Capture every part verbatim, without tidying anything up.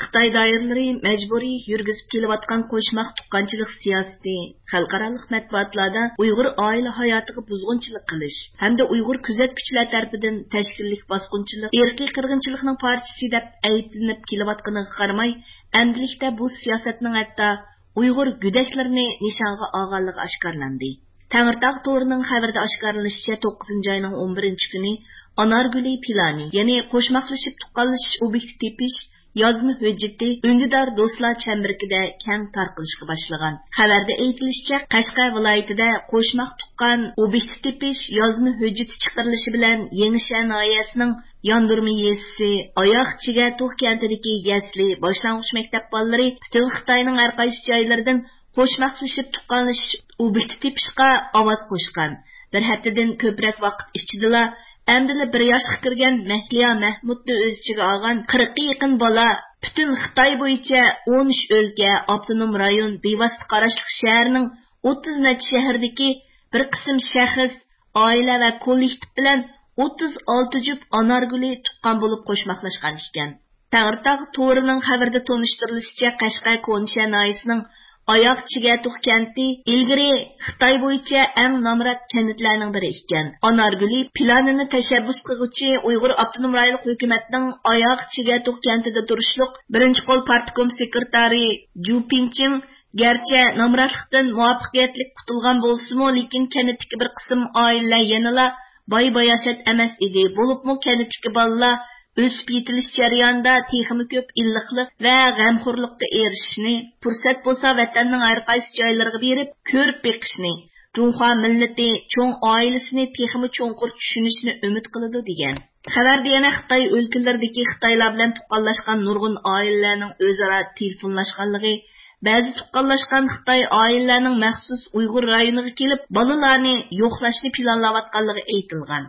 خىتاي دائىرىلىرى مەجبۇرىي يۈرگۈزۈپ كېلىۋاتقان قوشماق تۇغقانچىلىق سىياسىتى، خەلقئارالىق مەتبۇئاتلاردا ئۇيغۇر ئائىلە ھاياتىغا بۇزغۇنچىلىق قىلىش ھەمدە ئۇيغۇر كۆزەتكۈچىلەر تەرىپىدىن تەشكىللىك باسقۇنچىلىق، ئىرقىي قىرغىنچىلىقنىڭ پارچىسى دەپ ئەيىبلىنىپ كېلىۋاتقىنىغا قارىماي، ئەمدىلىكتە بۇ سىياسەتنىڭ ھەتتا ئۇيغۇر گۆدەكلىرىنى نىشانغا ئالغانلىقى ئاشكارىلاندى. تەڭرىتاغ تورىنىڭ خەۋىرىدە ئاشكارىلىنىشىچە، توققۇزىنچى ئاينىڭ ئون بىرىنچى كۈنى ئانارگۈلى پىلانى، يەنى قوشماقلىشىپ تۇغقانلىشىش ئوبيېكتى تېپىش يازما ھۆججىتى ئۈندىدار دوستلار چەمبىرىكىدە كەڭ تارقىلىشقا باشلىغان. خەۋەردە ئېيتىلىشىچە، قەشقەر ۋىلايىتىدە قوشماق تۇغقان ئوبيېكتى تېپىش يازما ھۆججىتى چىقىرىلىشى بىلەن يېڭىشەھەر ناھىيەسىنىڭ ياندۇرما يېزىسى ئاياغ چىگەتۇغ كەنتىدىكى يەسلى، باشلانغۇچ مەكتەپ بالىلىرى پۈتۈن خىتاينىڭ ھەر قايسى جايلىرىدىن قوشماقلىشىپ تۇغقانلىشىش ئوبيېكتى تېپىشقا ئاۋاز قوشقان. بىر ھەپتىدىن كۆپرەك ۋاقىت ئىچىدىلا ئەمدىلا بىر ياشقا كىرگەن مەھلىيا مەھمۇتنى ئۆز ئىچىگە ئالغان قىرىققا يېقىن بالا پۈتۈن خىتاي بويىچە ئون ئۈچ ئۆلكە، ئاپتونوم رايون، بىۋاسىتە قاراشلىق شەھەرنىڭ ئوتتۇز نەچچە شەھىرىدىكى بىر قىسىم شەخس، ئائىلە ۋە كوللېكتىپ بىلەن ئوتتۇز ئالتە جۈپ ئانارگۈلى تۇغقان بولۇپ قوشماقلاشقان ئىكەن. تەڭرىتاغ تورىنىڭ خەۋىرىدە تونۇشتۇرۇلۇشىچە، قەشقەر كونىشەھەر ناھىيەسىنىڭ ئاياغ چىگەتۇغ كەنتى ئىلگىرى خىتاي بويىچە ئەڭ نامرات كەنتلەرنىڭ بىرى ئىكەن. ئانارگۈلى پىلانىنى تەشەببۇس قىلغۇچى ئۇيغۇر ئاپتونوم رايونلۇق ھۆكۈمەتنىڭ ئاياغ چىگەتۇغ كەنتىدە تۇرۇشلۇق بىرىنچى قول پارتكوم سېكرېتارى جۇ پىڭچىڭ گەرچە نامراتلىقتىن مۇۋەپپەقىيەتلىك قۇتۇلغان بولسىمۇ، لېكىن كەنتتىكى بىر قىسىم ئائىلىلەر يەنىلا باي-باياشات ئەمەس ئىدى. بولۇپمۇ كەنتتىكى بالىلار ئۆسۈپ يېتىلىش جەريانىدا تېخىمۇ كۆپ ئىللىقلىق ۋە غەمخورلۇققا ئېرىشىشنى، پۇرسەت بولسا ۋەتەننىڭ ھەر قايسى جايلىرىغا بېرىپ كۆرۈپ بېقىشنى، جۇڭخۇا مىللىتى چوڭ ئائىلىسىنى تېخىمۇ چوڭقۇر چۈشىنىشنى ئۈمىد قىلىدۇ، دېگەن. خەۋەردە يەنە خىتاي ئۆلكىلىرىدىكى خىتايلار بىلەن تۇغقانلاشقان نۇرغۇن ئائىلىلەرنىڭ ئۆزئارا تېلېفونلاشقانلىقى، بەزى تۇغقانلاشقان خىتاي ئائىلىلەرنىڭ مەخسۇس ئۇيغۇر رايونىغا كېلىپ، بالىلارنى يوقلاشنى پىلانلاۋاتقانلىقى ئېيتىلغان.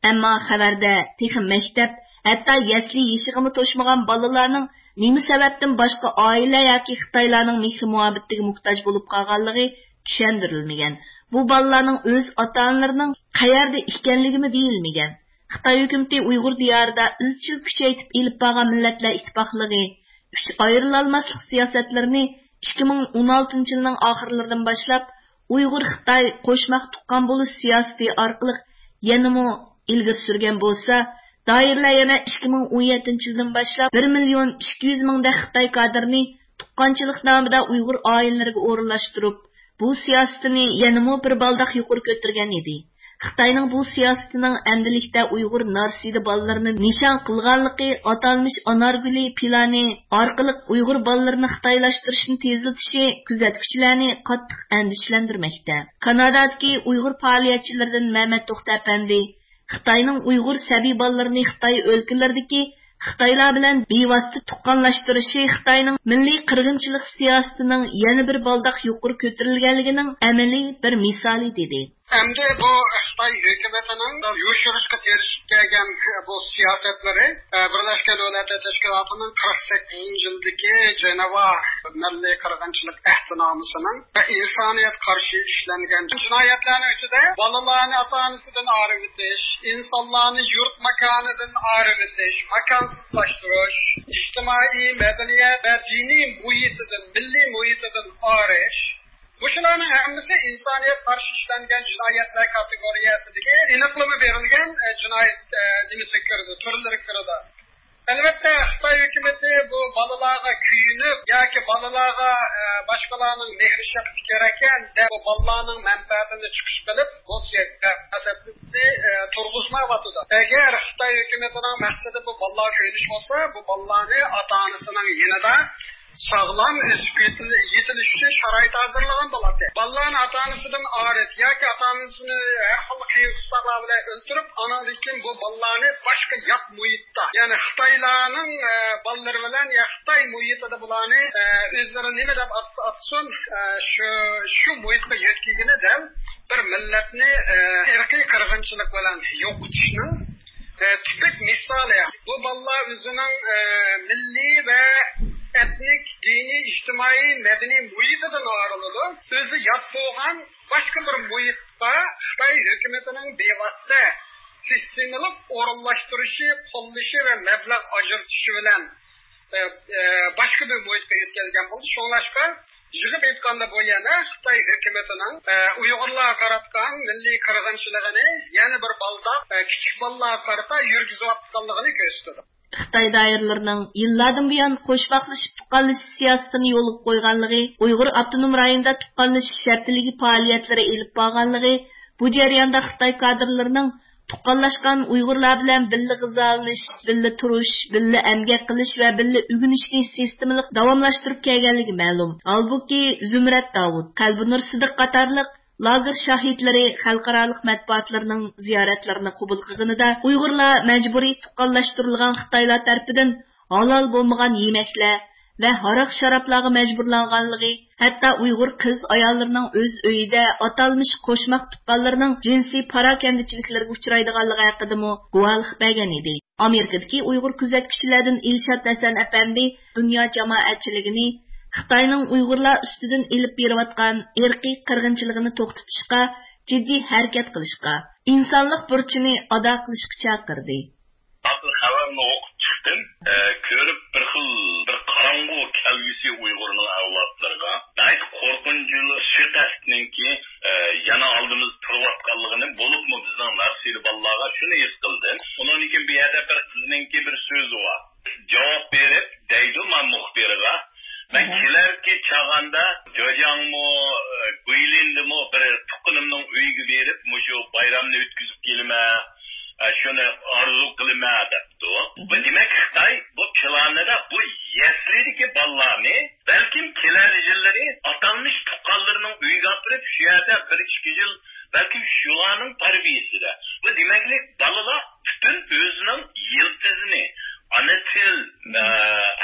ئەمما خەۋەردە تېخى مەكتەپ، ھەتتا يەسلى يېشىغىمۇ توشمىغان بالىلارنىڭ نېمە سەۋەبتىن باشقا ئائىلە ياكى خىتايلارنىڭ مېھرى-مۇھەببىتىگە موھتاج بولۇپ قالغانلىقى چۈشەندۈرۈلمىگەن. بۇ بالىلارنىڭ ئۆز ئاتا-ئانىلىرىنىڭ قەيەردە ئىكەنلىكىمۇ دېيىلمىگەن. خىتاي ھۆكۈمىتى ئۇيغۇر دىيارىدا ئىزچىل كۈچەيتىپ ئېلىپ بارغان مىللەتلەر ئىتتىپاقلىقى ئۈچ ئايرىلالماسلىق سىياسەتلىرىنى ئىككى مىڭ ئون ئالتىنچى يىلنىڭ ئاخىرلىرىدىن باشلاپ ئۇيغۇر-خىتاي قوشماق تۇغقان بولۇش سىياسىتى ئارقىلىق يەنىمۇ ئىلگىرى سۈرگەن بولسا، دائىرىلەر يەنە ئىككى مىڭ ئون يەتتىنچى يىلدىن باشلاپ بىر مىليون ئىككى يۈز مىڭدەك خىتاي كادىرىنى تۇغقانچىلىق نامىدا ئۇيغۇر ئائىلىلىرىگە ئورۇنلاشتۇرۇپ، بۇ سىياسىتىنى يەنىمۇ بىر بالداق يۇقىرى كۆتۈرگەن ئىدى. خىتاينىڭ بۇ سىياسىتىنىڭ ئەمدىلىكتە ئۇيغۇر نارسىدە بالىلىرىنى نىشان قىلغانلىقى، ئاتالمىش ئانارگۈلى پىلانى ئارقىلىق ئۇيغۇر بالىلىرىنى خىتايلاشتۇرۇشنى تېزلىتىشى كۆزەتكۈچىلەرنى قاتتىق ئەندىشىلەندۈرمەكتە. كانادادىكى ئۇيغۇر پائالىيەتچىلىرىدىن مەمەت توختى ئەپەندى، خىتاينىڭ ئۇيغۇر سەبىي بالىلىرىنى خىتاي ئۆلكىلىرىدىكى خىتايلار بىلەن بىۋاسىتە تۇغقانلاشتۇرۇشى خىتاينىڭ مىللىي قىرغىنچىلىق سىياسىتىنىڭ يەنە بىر بالداق يۇقىرى كۆتۈرۈلگەنلىكىنىڭ ئەمەلىي بىر مىسالى، دېدى. ئەمدى بۇ خىتاي ھۆكۈمىتىنىڭ يوشۇرۇشقا تىرىشىپ كەلگەن بۇ سىياسەتلىرى، ئە، بىرلەشكەن دۆلەتلەر تەشكىلاتىنىڭ قىرىق سەككىزىنچى يىلدىكى جېنېۋا مىللىي قىرغىنچىلىق ئەھدىنامىسىنىڭ ۋە ئىنسانىيەتكە قارشى ئىشلەنگەن جىنايەتلەرنىڭ ئىچىدە بالىلارنى ئاتا-ئانىسىدىن ئايرىۋېتىش، ئىنسانلارنى يۇرت ماكانىدىن ئايرىۋېتىش، ماكانسىزلاشتۇرۇش، ئىجتىمائىي، مەدەنىيەت ۋە دىنىي مۇھىتىدىن، مىللىي مۇھىتىدىن ئايرىش، مۇشۇلارنىڭ ھەممىسى ئىنسانىيەتكە قارشى ئىشلەنگەن جىنايەتلەر كاتېگورىيەسىدىكى ئېنىقلىما بېرىلگەن، ئە، جىنايەت، ئە، نېمىسىگە كىرىدۇ، تۈرلىرىگە كىرىدۇ. ئەلۋەتتە، خىتاي ھۆكۈمىتى بۇ بالىلارغا كۆيۈنۈپ ياكى بالىلارغا، ئە، باشقىلارنىڭ مېھرى-شەپقىتى كېرەككەن دەپ، بۇ بالىلارنىڭ مەنپەئەتىنى چىقىش قىلىپ، بۇ سىياسەتنى، ئە، تۇرغۇزمايۋاتىدۇ. ئەگەر خىتاي ھۆكۈمىتىنىڭ مەقسىتى بۇ بالىلارغا كۆيۈنۈش بولسا، بۇ بالىلارنى ئاتا-ئانىسىنىڭ يېنىدا ساغلام ئۆسۈپ يېتىل-، يېتىلىش ئۈچۈن شارائىت ھازىرلىغان بولاتتى. بالىلارنى ئاتا-ئانىسىدىن ئايرىپ ياكى ئاتا-ئانىسىنى ھەر خىل قىيىن-قىستاقلار بىلەن ئۆلتۈرۈپ، ئانىڭدىن كېيىن بۇ بالىلارنى باشقا يات مۇھىتتا، يەنى خىتايلارنىڭ، ئە، بالىلىرى بىلەن يا خىتاي مۇھىتىدا بۇلارنى، ئە، ئۆزلىرى نېمە دەپ ئاتىسا ئاتىسۇن، ئە، شۇ، شۇ مۇھىتقا يۆتكىگىنى دەل بىر مىللەتنى، ئە، ئىرقىي قىرغىنچىلىق بىلەن يوقىتىشنىڭ ئە، تىپىك مىسالى. بۇ بالىلار ئۆزىنىڭ، ئە، مىللىي ۋە ئېتنىك، دىنىي، ئىجتىمائىي، مەدەنىي مۇھىتىدىن ئايرىلىدۇ. ئۆزى يات بولغان باشقا بىر مۇھىتقا خىتاي ھۆكۈمىتىنىڭ بىۋاسىتە سىستېمىلىق ئورۇنلاشتۇرۇشى، قوللىشى ۋە مەبلەغ ئاجرىتىشى بىلەن ئە، ئە، باشقا بىر مۇھىتقا يۆتكەلگەن بولدى. شۇڭلاشقا، يىغىپ ئېيتقاندا، بۇ يەنە خىتاي ھۆكۈمىتىنىڭ، ئە، ئۇيغۇرلارغا قاراتقان مىللىي قىرغىنچىلىقىنى يەنە بىر بالداق، ئە، كىچىك بالىلارغا قارىتا يۈرگۈزۈۋاتقانلىقىنى كۆرسىتىدۇ. خىتاي دائىرىلىرىنىڭ يىللاردىن بۇيان قوشماقلىشىپ تۇغقانلىشىش سىياسىتىنى يولغا قويغانلىقى، ئۇيغۇر ئاپتونوم رايونىدا تۇغقانلىشىش شەرتلىكى پائالىيەتلىرى ئېلىپ بارغانلىقى، بۇ جەرياندا خىتاي كادىرلىرىنىڭ تۇغقانلاشقان ئۇيغۇرلار بىلەن بىللە غىزالىنىش، بىللە تۇرۇش، بىللە ئەمگەك قىلىش ۋە بىللە ئۆگىنىشنى سىستېمىلىق داۋاملاشتۇرۇپ كەلگەنلىكى مەلۇم. ھالبۇكى، زۇمرەت داۋۇت، قەلبىنۇر سىدىق قاتارلىق لاگېر شاھىتلىرى خەلقئارالىق مەتبۇئاتلىرىنىڭ زىيارەتلىرىنى قوبۇل قىلغىنىدا، ئۇيغۇرلار مەجبۇرىي تۇغقانلاشتۇرۇلغان خىتايلار تەرىپىدىن ھالال بولمىغان يېمەكلەر ۋە ھاراق-شارابلارغا مەجبۇرلانغانلىقى، ھەتتا ئۇيغۇر قىز ئاياللىرىنىڭ ئۆز ئۆيىدە ئاتالمىش قوشماق تۇغقانلىرىنىڭ جىنسىي پاراكەندىچىلىكلىرىگە ئۇچرايدىغانلىقى ھەققىدىمۇ گۇۋاھلىق بەرگەن ئىدى. ئامېرىكىدىكى ئۇيغۇر كۆزەتكۈچىلەردىن ئىلشات ھەسەن ئەپەندى دۇنيا جامائەتچىلىكىنى خىتاينىڭ ئۇيغۇرلار ئۈستىدىن ئېلىپ بېرىۋاتقان ئىرقىي قىرغىنچىلىقىنى توختىتىشقا جىددىي ھەرىكەت قىلىشقا، ئىنسانلىق بۇرچىنى ئادا قىلىشقا چاقىردى. ھازىر خەۋەرنى ئوقۇپ چىقتىم. ئە، كۆرۈپ بىر خىل، بىر قاراڭغۇ كەلگۈسى ئۇيغۇرنىڭ ئەۋلادلىرىغا. ناھايىتى قورقۇنچلۇق سۇيىقەستنىڭكى، ئە، يەنە ئالدىمىزدا تۇرۇۋاتقانلىقىنى، بولۇپمۇ بىزنىڭ نارسىلى بالىلارغا شۇنى ھېس قىلدىم. ئۇنىڭدىن كېيىن بۇ يەردە بىر قىزنىڭكى بىر سۆزى بار. جاۋاب بېرىپ دەيدۇ ما مۇخبىرغا، مەن كېلەركى چاغاندا جېجياڭمۇ، گۇيلىندىمۇ بىر تۇغقىنىمنىڭ ئۆيىگە بېرىپ، مۇشۇ بايرامنى ئۆتكۈزۈپ كېلىمەن، ئە، شۇنى ئارزۇ قىلىمەن، دەپتۇ. بۇ دېمەك، خىتاي بۇ پىلانىدا بۇ يەسلىدىكى بالىلارنى بەلكىم كېلەر يىللىرى ئاتالمىش تۇغقانلىرىنىڭ ئۆيىگە ئاپىرىپ، شۇ يەردە بىر ئىككى يىل بەلكىم شۇلارنىڭ تەربىيىسىدە. بۇ دېمەكلىك، بالىلار پۈتۈن ئۆزىنىڭ يىلتىزىنى، ئانا تىل، ئە،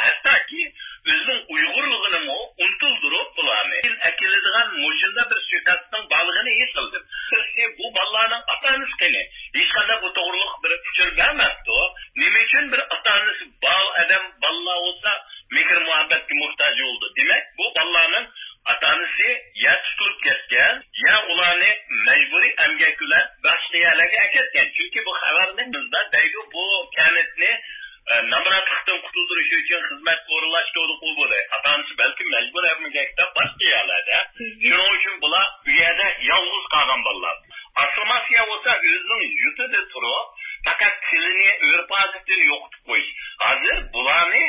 ھەتتاكى ئۆزىنىڭ ئۇيغۇرلۇقىنىمۇ ئۇنتۇلدۇرۇپ، بۇلارنى ئەكېلىدىغان مۇشۇنداق بىر سۇيىقەستنىڭ بارلىقىنى ھېس قىلدىم. بىرسى، بۇ بالىلارنىڭ ئاتا-ئانىسى قېنى؟ ھېچقانداق بۇ توغرىلىق بىر ئۇچۇر بەرمەپتۇ. نېمە ئۈچۈن بىر ئاتا-ئانىسى بار ئادەم، بالىلار بولسا مېھىر-مۇھەببەتكە موھتاج بولىدۇ؟ دېمەك، بۇ بالىلارنىڭ ئاتا-ئانىسى يا تۇتۇلۇپ كەتكەن، يا ئۇلارنى مەجبۇرىي ئەمگەك بىلەن باشقا يەرلەرگە ئەكەتكەن. چۈنكى بۇ خەۋەرنى بىزدە دەيدۇ، بۇ كەنتنى، ئە، نامراتلىقتىن قۇتۇلدۇرۇش ئۈچۈن خىزمەتكە ئورۇنلاشتۇردۇق، ئۇ بۇنى. ئاتا-ئانىسى بەلكىم مەجبۇرىي ئەمگەكتە باشقا يەرلەردە. شۇنىڭ ئۈچۈن بۇلار ئۇ يەردە يالغۇز قالغان بالىلار. ئاسسىمىلياتسىيە بولسا ئۆزىنىڭ يۇرتىدا تۇرۇپ، پەقەت تىلىنى، ئۆرپ-ئادىتىنى يوقىتىپ قويۇش. ھازىر بۇلارنى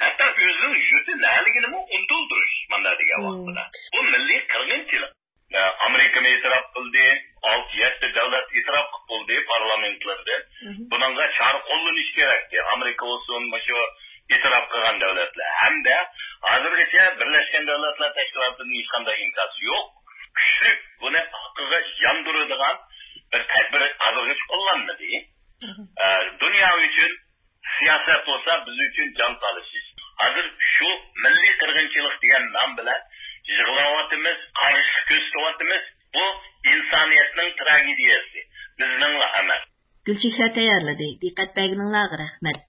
ھەتتا ئۆزىنىڭ يۇرتى نەلىكىنىمۇ ئۇنتۇلدۇرۇش، مانا دېگەن ۋاقتىدا. بۇ مىللىي قىرغىنچىلىق. ئامېرىكىمۇ ئېتىراپ قىلدى، ئالتە، يەتتە دۆلەت ئېتىراپ قىلىپ بولدى پارلامېنتلىرىدىن. بۇنىڭغا چارە قوللىنىش كېرەكتى. ئامېرىكا بولسۇن، مۇشۇ ئېتىراپ قىلغان دۆلەتلەر. ھەمدە ھازىرغىچە بىرلەشكەن دۆلەتلەر تەشكىلاتىدىن ھېچقانداق ئىنكاس يوق. كۈچلۈك بۇنى ئارقىغا ياندۇرىدىغان بىر تەدبىر ھازىرغىچە قوللانمىدى. ئە، دۇنيا ئۈچۈن سىياسەت بولسا بىز ئۈچۈن جان تالىشىش. ھازىر شۇ مىللىي قىرغىنچىلىق دېگەن نام بىلەن يىغلاۋاتىمىز، قارشىلىق كۆرسىتىۋاتىمىز. بۇ ئىنسانىيەتنىڭ تراگېدىيەسى، بىزنىڭلا ئەمەس. گۈلچېھرە تەييارلىدى. دىققەت بەرگىنىڭلارغا رەھمەت.